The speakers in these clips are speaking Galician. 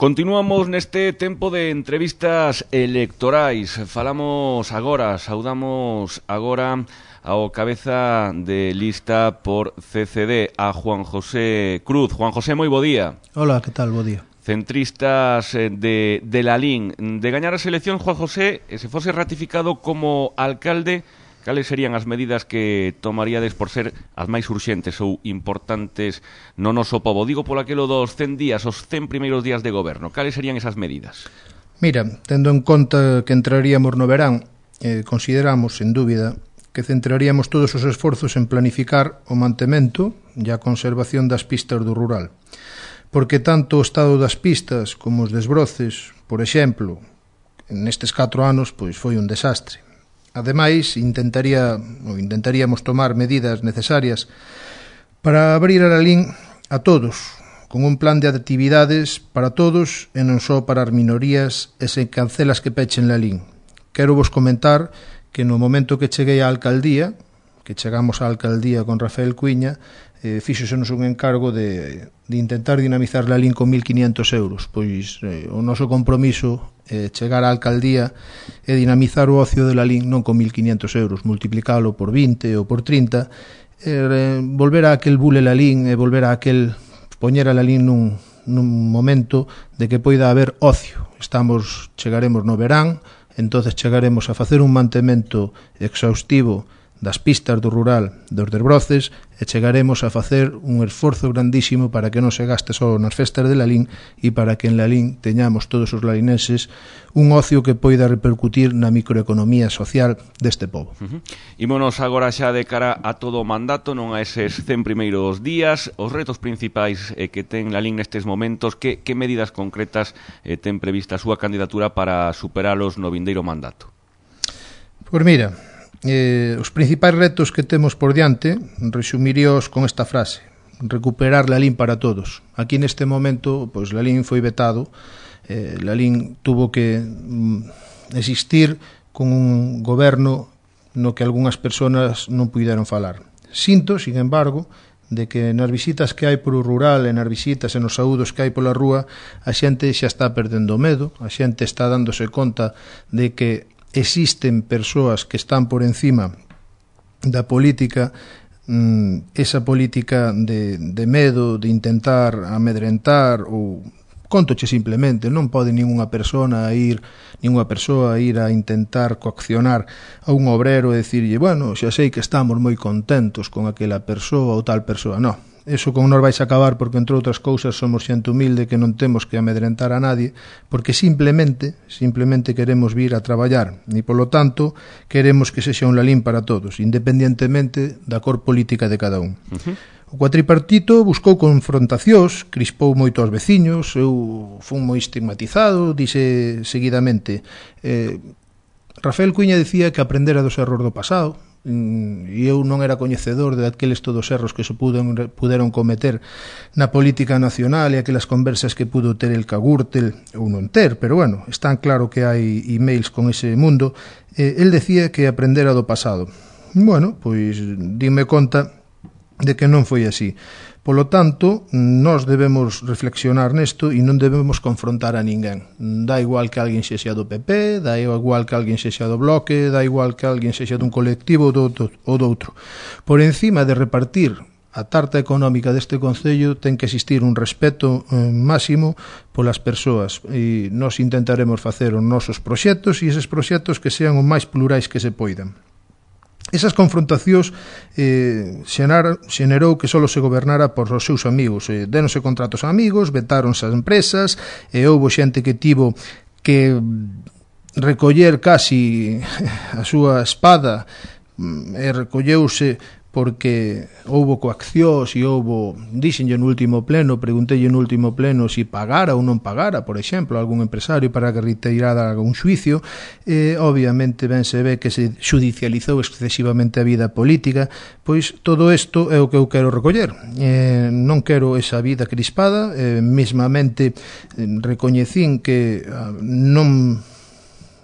Continuamos neste tempo de entrevistas electorais. Saudamos agora ao cabeza de lista por CCD, a Juan José Cruz. Juan José, moi bo día. Hola, que tal? Bo día. Centristas de Lalín. De gañar as eleccións, Juan José, se fose ratificado como alcalde, cales serían as medidas que tomaríades por ser as máis urxentes ou importantes no noso pobo? Digo por aquilo dos 100 días, os 100 primeiros días de goberno. Cales serían esas medidas? Mira, tendo en conta que entraríamos no verán, consideramos, sen dúbida, que centraríamos todos os esforzos en planificar o mantemento e a conservación das pistas do rural. Porque tanto o estado das pistas como os desbroces, por exemplo, nestes 4 anos, pois foi un desastre. Ademais, intentaríamos tomar medidas necesarias para abrir a Lalín a todos, con un plan de actividades para todos e non só para as minorías e sen cancelas que pechen Lalín. Quero vos comentar que no momento que cheguei á alcaldía, que chegamos á alcaldía con Rafael Cuiña, fíxosenos un encargo de intentar dinamizar Lalín con 1.500 euros. Pois o noso compromiso é chegar á alcaldía e dinamizar o ocio de Lalín non con 1.500 euros, multiplicalo por 20 ou por 30, volver a aquel bule Lalín e volver a aquel poñer a Lalín nun momento de que poida haber ocio. Chegaremos no verán, entonces chegaremos a facer un mantemento exhaustivo das pistas do rural, dos desbroces, e chegaremos a facer un esforzo grandísimo para que non se gaste só nas festas de Lalín e para que en Lalín teñamos todos os lalinenses un ocio que poida repercutir na microeconomía social deste pobo. Ímonos agora xa de cara a todo o mandato, non a eses 100 primeiros días, os retos principais que ten Lalín nestes momentos, que medidas concretas ten prevista a súa candidatura para superalos no vindeiro mandato? Pois mira, os principais retos que temos por diante resumiríos con esta frase: recuperar Lalín para todos. Aquí neste momento, pois Lalín foi vetado, Lalín tuvo que existir con un goberno no que algunhas persoas non puideron falar. Sinto, sin embargo, de que nas visitas que hai polo rural e nas visitas e nos saúdos que hai pola rúa, a xente xa está perdendo medo, a xente está dándose conta de que existen persoas que están por encima da política, esa política de medo, de intentar amedrentar, ou contoche simplemente, non pode ningunha persoa ir a intentar coaccionar a un obrero e dicirlle, bueno, xa sei que estamos moi contentos con aquela persoa ou tal persoa. Non, eso con nos vais a acabar, porque entre outras cousas somos xente humilde que non temos que amedrentar a nadie, porque simplemente queremos vir a traballar e polo tanto queremos que sexa un Lalín para todos, independientemente da cor política de cada un. O cuatripartito buscou confrontacións, crispou moito aos veciños, eu fun moi estigmatizado, dixe seguidamente. Rafael Cuiña dicía que aprendera dos erros do pasado, e eu non era coñecedor de aqueles todos erros que se puderon cometer na política nacional e aquelas conversas que pudo ter el Cagúrtel ou non ter, pero bueno, están claro que hai emails con ese mundo. El decía que aprendera do pasado. Bueno, pois dime conta de que non foi así. Polo tanto, nós debemos reflexionar nesto e non debemos confrontar a ninguén. Dá igual que alguén sexa do PP, dá igual que alguén sexa do Bloque, dá igual que alguén sexa dun colectivo ou doutro. Por encima de repartir a tarta económica deste concello, ten que existir un respeto máximo polas persoas, e nós intentaremos facer os nosos proxectos, e eses proxectos que sean o máis plurais que se poidan. Esas confrontacións xenerou que só se gobernara por os seus amigos. Déronse contratos a amigos, vetáronse as empresas, e houbo xente que tivo que recoller casi a súa espada e recolleuse porque houbo coaccións e houbo, dixenlle no último pleno, preguntelle no último pleno se pagara ou non pagara, por exemplo, algún empresario para que retirara un xuicio, e obviamente ben se ve que se judicializou excesivamente a vida política. Pois todo isto é o que eu quero recoller. Non quero esa vida crispada, mesmamente recoñecín que non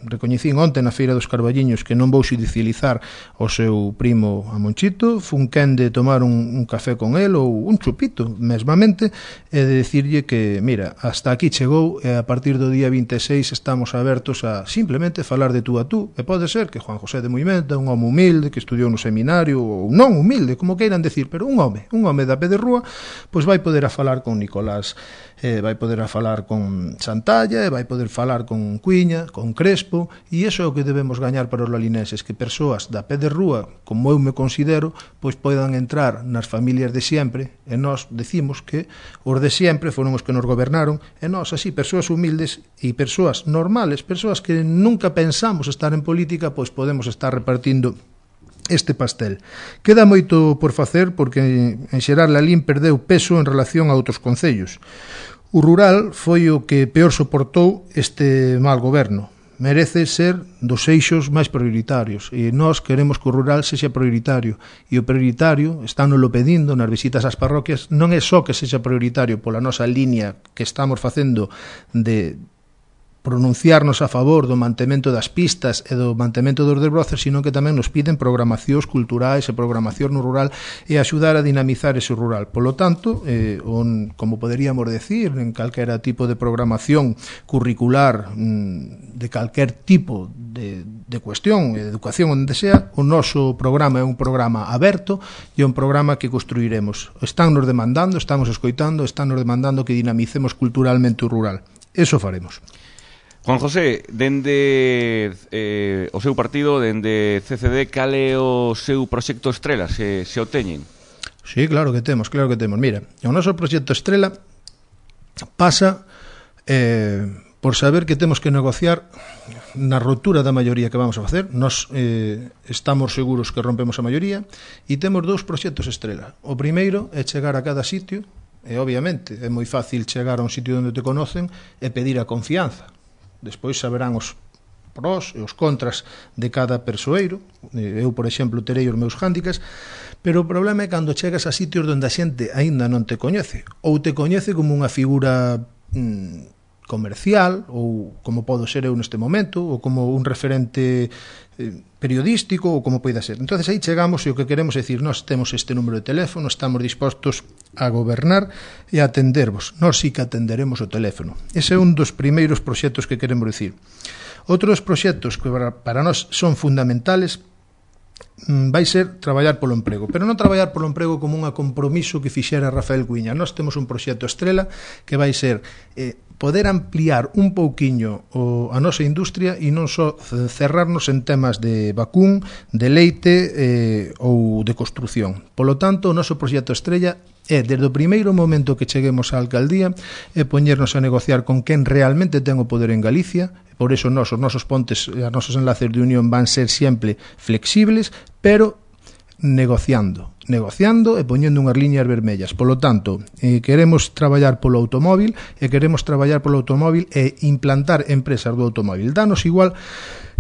recoñecín onte na Feira dos Carballiños que non vou xudicializar o seu primo a Monchito, fun quen de tomar un café con el ou un chupito mesmamente e de dicirlle que, mira, hasta aquí chegou e a partir do día 26 estamos abertos a simplemente falar de tú a tú, e pode ser que Juan José de Muimenta, un home humilde que estudiou no seminario ou non humilde, como queiran decir, pero un home da pé de rúa, pois vai poder a falar con Nicolás, vai poder a falar con Santalla, e vai poder falar con Cuiña, con Crespo, e iso é o que debemos gañar para os lalinenses, que persoas da pé de rúa, como eu me considero, pois poidan entrar nas familias de sempre, e nós decimos que os de sempre foron os que nos gobernaron, e nós así, persoas humildes e persoas normales, persoas que nunca pensamos estar en política, pois podemos estar repartindo este pastel. Queda moito por facer porque en xeral Lalín perdeu peso en relación a outros concellos. O rural foi o que peor soportou este mal goberno. Merece ser dos eixos máis prioritarios e nós queremos que o rural sexa prioritario e o prioritario, estánoslo pedindo nas visitas ás parroquias, non é só que sexa prioritario pola nosa línea que estamos facendo de pronunciarnos a favor do mantemento das pistas e do mantemento dos desbrozos, sino que tamén nos piden programacións culturais e programación no rural e axudar a dinamizar ese rural. Polo tanto, como poderíamos decir, en calquera tipo de programación curricular de calquer tipo de cuestión, de educación onde sea, o noso programa é un programa aberto e un programa que construiremos. Están nos demandando, estamos escoitando, están nos demandando que dinamicemos culturalmente o rural. Eso faremos. Juan José, dende o seu partido, dende CCD, cal é o seu proxecto estrela, se o teñen? Sí, claro que temos. Mira, o noso proxecto estrela pasa por saber que temos que negociar na rotura da maioría que vamos a facer. Nos estamos seguros que rompemos a maioría e temos dous proxectos estrela. O primeiro é chegar a cada sitio e, obviamente, é moi fácil chegar a un sitio onde te conocen e pedir a confianza. Despois saberán os prós e os contras de cada persoeiro. Eu, por exemplo, terei os meus hándicaps, pero o problema é cando chegas a sitios onde a xente aínda non te coñece, ou te coñece como unha figura comercial, ou como podo ser eu neste momento, ou como un referente periodístico, ou como poida ser. Entonces aí chegamos e o que queremos é dicir, nós temos este número de teléfono, estamos dispostos a gobernar e a atendervos. Nós sí que atenderemos o teléfono. Ese é un dos primeiros proxectos que queremos dicir. Outros proxectos que para nós son fundamentales vai ser traballar polo emprego, pero non traballar polo emprego como un compromiso que fixera Rafael Cuiña. Nós temos un proxecto estrela que vai ser poder ampliar un pouquiño a nosa industria e non só cerrarnos en temas de vacún, de leite ou de construción. Polo tanto, o noso proxecto estrella é, desde o primeiro momento que cheguemos á alcaldía, é poñernos a negociar con quen realmente ten o poder en Galicia. Por eso os nosos pontes, os nosos enlaces de unión van ser sempre flexibles, pero negociando e poñendo unhas liñas vermellas. Polo tanto, queremos traballar polo automóvil e implantar empresas do automóvil. Danos igual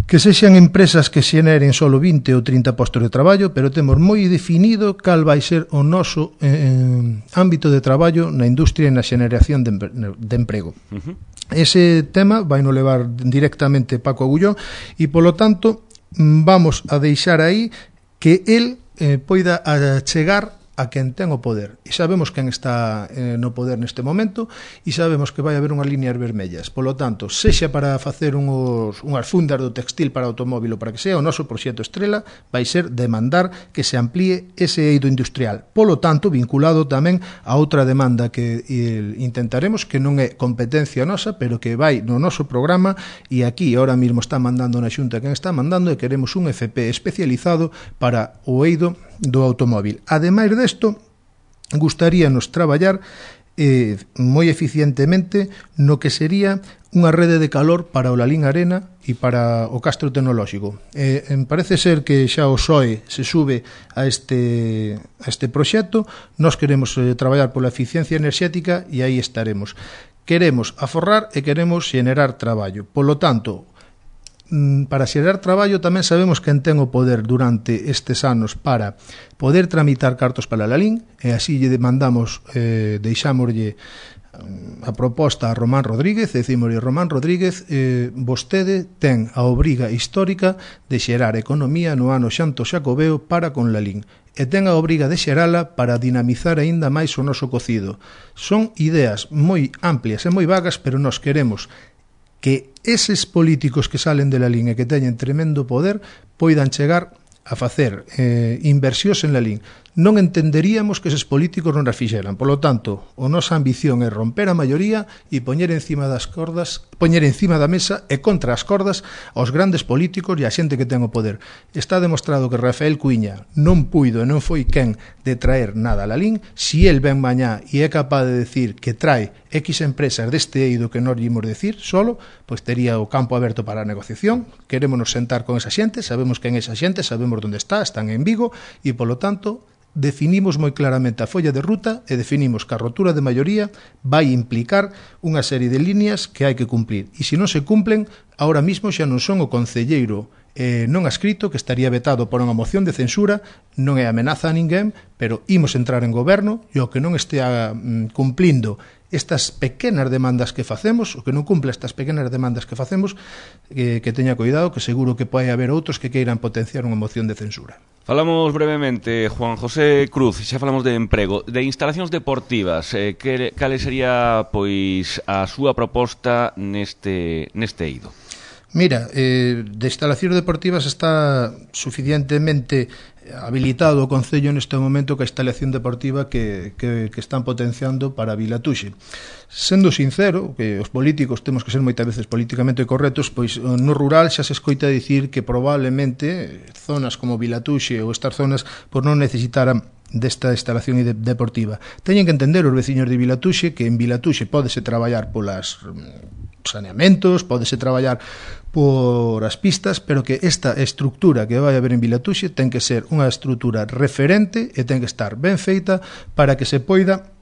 que sexan empresas que xeneren solo 20 ou 30 postos de traballo, pero temos moi definido cal vai ser o noso ámbito de traballo na industria e na xeneración de emprego. Ese tema vai no levar directamente Paco Agullón e, polo tanto, vamos a deixar aí que el poida chegar a quen ten o poder. E sabemos quen está no poder neste momento e sabemos que vai haber unhas líneas vermellas. Polo tanto, sexa para facer unhas fundas do textil para automóvil ou para que sea, o noso proxecto estrela vai ser demandar que se amplíe ese eido industrial. Polo tanto, vinculado tamén a outra demanda que intentaremos, que non é competencia nosa, pero que vai no noso programa e aquí ahora mesmo está mandando na Xunta quen está mandando e queremos un FP especializado para o eido do automóvil. Ademais desto, gustaríanos traballar moi eficientemente no que sería unha rede de calor para o Lalín Arena e para o Castro Tecnolóxico. Parece ser que xa o SOE se sube a este proxecto. Nós queremos traballar pola eficiencia enerxética e aí estaremos. Queremos aforrar e queremos xenerar traballo. Polo tanto, para xerar traballo tamén sabemos quen ten o poder durante estes anos para poder tramitar cartos para Lalín e así lle demandamos, deixámoslle a proposta a Román Rodríguez, decimos, Román Rodríguez, vostede ten a obriga histórica de xerar economía no ano xanto xacobeo para con Lalín, e ten a obriga de xerala para dinamizar aínda máis o noso cocido. Son ideas moi amplias e moi vagas, pero nós queremos que eses políticos que salen de Lalín e que teñen tremendo poder poidan chegar a facer inversións en Lalín. Non entenderíamos que eses políticos non as fixeran. Por lo tanto, a nosa ambición é romper a maioría e poñer encima das cordas, poñer encima da mesa e contra as cordas aos grandes políticos e a xente que ten o poder. Está demostrado que Rafael Cuiña non puido e non foi quen de traer nada a Lalín. Si el ven mañá e é capaz de decir que trae X empresas deste eido que non ímos decir solo, pois tería o campo aberto para a negociación. Querémonos sentar con esa xente, sabemos quen é esa xente, sabemos onde está, están en Vigo, e polo tanto definimos moi claramente a folla de ruta e definimos que a rotura de maioría vai implicar unha serie de líneas que hai que cumplir. E se non se cumplen, ahora mismo xa non son o concelleiro non adscrito, que estaría vetado por unha moción de censura, non é amenaza a ninguén, pero imos entrar en goberno e o que non estea cumplindo estas pequenas demandas que facemos, o que non cumpla estas pequenas demandas que facemos, que teña cuidado, que seguro que pode haber outros que queiran potenciar unha moción de censura. Falamos brevemente, Juan José Cruz, xa falamos de emprego, de instalacións deportivas, cal sería pois a súa proposta neste eido? Mira, de instalacións deportivas está suficientemente habilitado o Concello neste momento que a instalación deportiva que están potenciando para Vilatuxe. Sendo sincero, que os políticos temos que ser moitas veces políticamente correctos, pois no rural xa se escoita dicir que probablemente zonas como Vilatuxe ou estas zonas por non necesitaran desta instalación deportiva. Teñen que entender os veciños de Vilatuxe que en Vilatuxe pódese traballar polas saneamentos, pódese traballar por as pistas, pero que esta estructura que vai haber en Vilatuxe ten que ser unha estructura referente e ten que estar ben feita para que se poida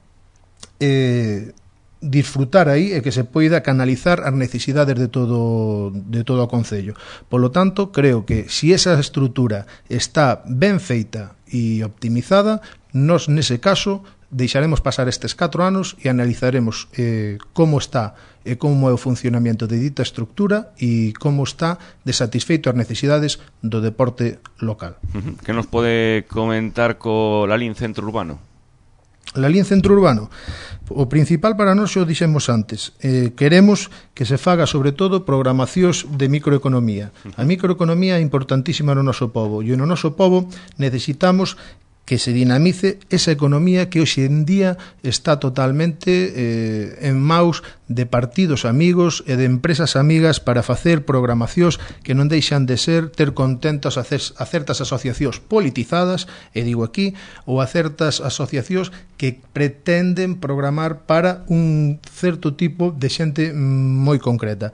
disfrutar aí e que se poida canalizar as necesidades de todo o Concello. Por lo tanto, creo que se esa estructura está ben feita e optimizada, nós nese caso deixaremos pasar estes 4 anos e analizaremos como está e como é o funcionamento de dita estructura e como está de satisfeito as necesidades do deporte local. Que nos pode comentar co Lalín Centro Urbano? Lalín Centro Urbano, o principal para nós xo dixemos antes, queremos que se faga sobre todo programacións de microeconomía. A microeconomía é importantísima no noso pobo e no noso pobo necesitamos que se dinamice esa economía que hoxe en día está totalmente en maus de partidos amigos e de empresas amigas para facer programacións que non deixan de ser ter contentos a certas asociacións politizadas, e digo aquí, ou a certas asociacións que pretenden programar para un certo tipo de xente moi concreta.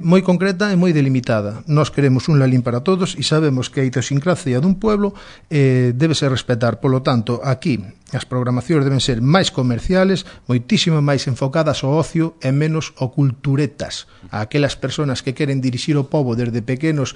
Moi concreta e moi delimitada. Nós queremos un Lalín para todos e sabemos que a idiosincrasia dun pueblo debe ser respetar. Polo tanto, aquí as programacións deben ser máis comerciales, moitísimo máis enfocadas ao ocio e menos ao culturetas. A aquelas persoas que queren dirixir o pobo desde pequenos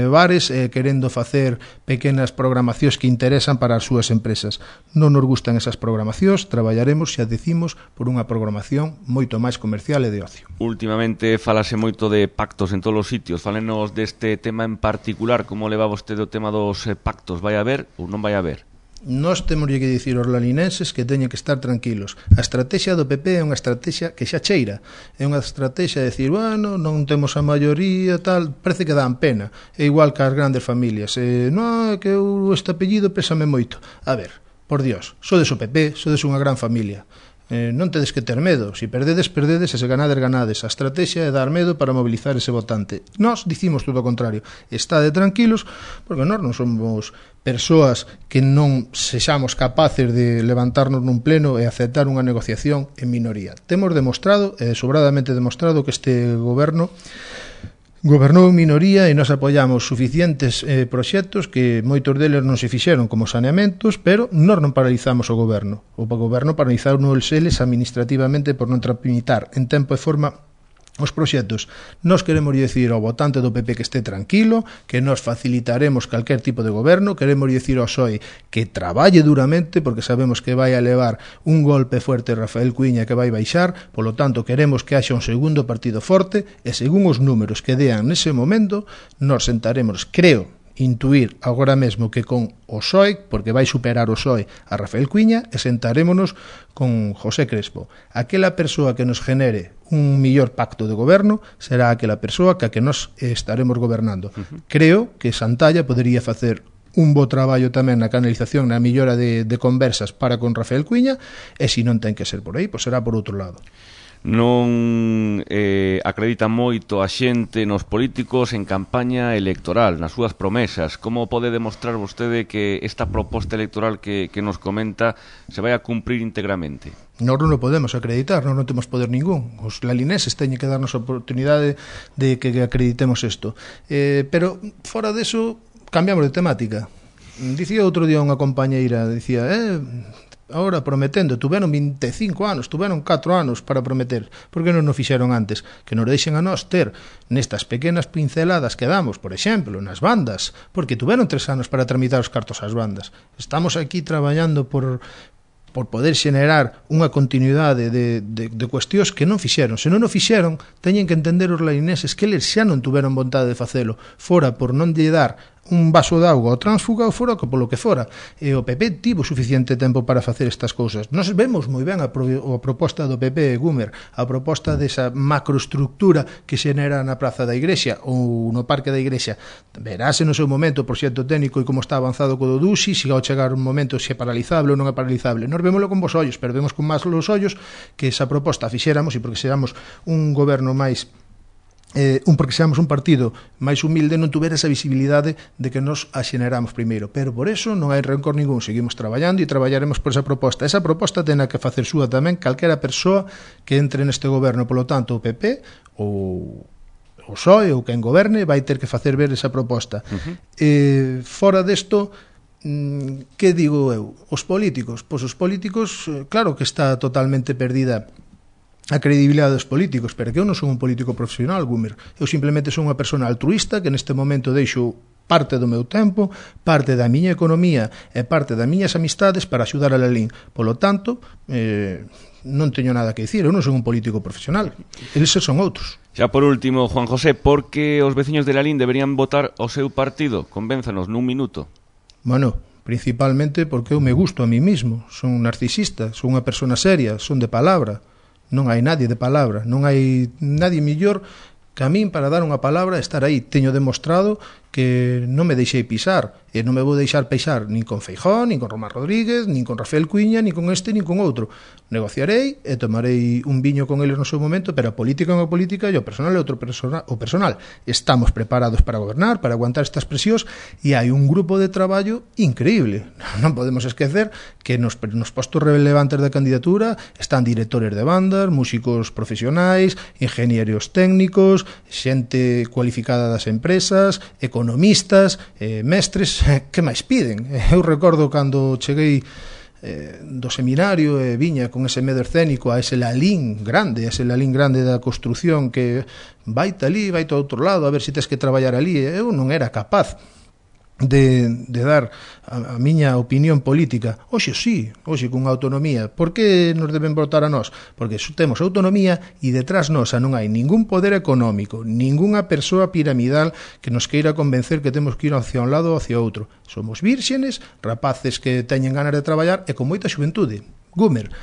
bares querendo facer pequenas programacións que interesan para as súas empresas. Non nos gustan esas programacións, traballaremos, xa decimos, por unha programación moito máis comercial e de ocio. Últimamente falase moito de pactos en todos os sitios. Fálenos deste tema en particular, como leva vostede o tema dos pactos? Vai haber ou non vai haber? Nós temos que dicir aos lalinenses que teñen que estar tranquilos. A estrategia do PP é unha estrategia que xa cheira. É unha estrategia de decir, bueno, non temos a maioría, tal, parece que dan pena. É igual que as grandes familias. Non, é que este apellido pésame moito. A ver, por Dios, sodes o PP, sodes unha gran familia. Non tedes que ter medo. Se perdedes, perdedes, e se ganades, ganades. A estrategia é dar medo para mobilizar ese votante. Nós dicimos todo o contrario. Estade tranquilos, porque nós non somos persoas que non sexamos capaces de levantarnos nun pleno e aceptar unha negociación en minoría. Temos demostrado, sobradamente demostrado, que este goberno gobernou en minoría e nos apoiamos suficientes proxectos que moitos deles non se fixeron como saneamentos, pero nós non paralizamos o goberno. O goberno paralizou nos eles administrativamente por non tramitar en tempo e forma os proxectos. Nos queremos dicir ao votante do PP que este tranquilo, que nos facilitaremos calquer tipo de goberno, queremos dicir ao PSOE que traballe duramente, porque sabemos que vai a levar un golpe fuerte Rafael Cuíña que vai baixar, polo tanto queremos que haxa un segundo partido forte, e según os números que dean nese momento, nos sentaremos, creo, intuir agora mesmo que con o PSOE, porque vai superar o PSOE a Rafael Cuíña, e sentarémonos con José Crespo. Aquela persoa que nos genere un millor pacto de goberno será aquela persoa que nos estaremos gobernando. Creo que Santalla podería facer un bo traballo tamén na canalización, na millora de conversas para con Rafael Cuíña, e se non ten que ser por aí, pois será por outro lado. Non acredita moito a xente nos políticos en campaña electoral, nas súas promesas. Como pode demostrar vostede que esta proposta electoral que nos comenta se vai a cumprir íntegramente? Nós non podemos acreditar, non temos poder ningún. Os lalineses teñen que darnos a oportunidade de que acreditemos isto. Pero fora deso, cambiamos de temática. Dicía outro día unha compañeira, dicía, ahora prometendo, tuveron 25 anos, tuveron 4 anos para prometer, por que non o fixeron antes? Que nos deixen a nós ter nestas pequenas pinceladas que damos, por exemplo, nas bandas, porque tuveron 3 anos para tramitar os cartos ás bandas. Estamos aquí traballando por poder xenerar unha continuidade de cuestións que non fixeron. Se non o fixeron, teñen que entender os laineses que eles xa non tuveron vontade de facelo, fora por non lle dar un vaso de auga ao tránsfuga ou fora polo que fora. E o PP tivo suficiente tempo para facer estas cousas. Nos vemos moi ben a proposta do PP, Gumer, a proposta desa macroestructura que xenera na Praza da Igrexa ou no Parque da Igrexa. Verase no seu momento o proxecto técnico e como está avanzado co do Duxi, se ao chegar un momento se é paralizable ou non é paralizable. Nos vémoslo con vos ollos, pero vemos con máis los ollos que esa proposta fixéramos e porque xeramos un goberno máis porque seamos un partido máis humilde non tuvera esa visibilidade de que nos a xeneramos primeiro, pero por eso non hai rencor ningún, seguimos traballando e traballaremos por esa proposta. Esa proposta ten que facer súa tamén calquera persoa que entre neste goberno, polo tanto o PP ou o PSOE ou quen goberne vai ter que facer ver esa proposta. Fora desto, que digo eu? Os políticos, pois os políticos, claro que está totalmente perdida a credibilidade dos políticos, pero que eu non son un político profesional, Gumer. Eu simplemente son unha persona altruista que neste momento deixo parte do meu tempo, parte da miña economía e parte das miñas amistades para axudar a Lalín. Polo tanto, non teño nada que dicir, eu non son un político profesional, eles son outros. Xa por último, Juan José, por que os veciños de Lalín deberían votar o seu partido? Convénzanos nun minuto. Bueno, principalmente porque eu me gusto a mí mismo, son narcisista, son unha persona seria, son de palabra. Non hai nadie de palabra, non hai nadie mellor que a min para dar unha palabra e estar aí. Teño demostrado que non me deixei pisar e non me vou deixar pisar nin con Feijóo, nin con Román Rodríguez, nin con Rafael Cuíña, nin con este, nin con outro. Negociarei e tomarei un viño con eles no seu momento, pero a política é unha política e o personal é outro o personal. Estamos preparados para gobernar, para aguantar estas presións e hai un grupo de traballo increíble. Non podemos esquecer que nos postos relevantes da candidatura están directores de bandas, músicos profesionais, ingenieros técnicos, xente cualificada das empresas, economistas, mestres, que máis piden? Eu recordo cando cheguei do seminario e viña con ese medo escénico a ese Lalín grande da construción que vai talí, vai to outro lado, a ver se tes que traballar ali. Eu non era capaz de dar a miña opinión política. Hoxe sí, hoxe con autonomía. Por que nos deben votar a nós? Porque temos autonomía e detrás nosa non hai ningún poder económico, ningunha persoa piramidal que nos queira convencer que temos que ir hacia un lado ou hacia outro. Somos vírxenes, rapaces que teñen ganas de traballar e con moita xuventude. Gumer,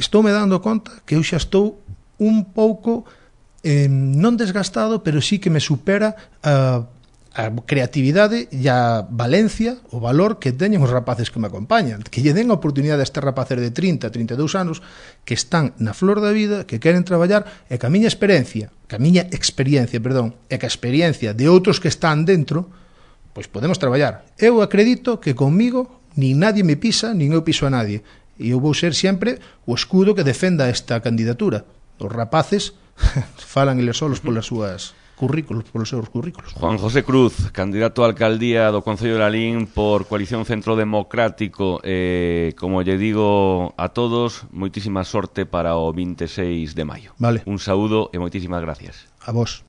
estou me dando conta que eu xa estou un pouco non desgastado, pero sí que me supera a creatividade e a valencia, o valor que teñen os rapaces que me acompañan, que lle den a oportunidade a este rapaces de 30, 32 anos que están na flor da vida, que queren traballar e que a miña experiencia, e que a experiencia de outros que están dentro, pois podemos traballar. Eu acredito que comigo nin nadie me pisa, nin eu piso a nadie, e eu vou ser sempre o escudo que defenda esta candidatura. Os rapaces falan eles solos polas súas currículos, polos seus currículos. Juan José Cruz, candidato a alcaldía do Concello de Lalín por Coalición Centro Democrático. Como lle digo a todos, moitísima sorte para o 26 de maio. Vale. Un saúdo e moitísimas gracias. A vos.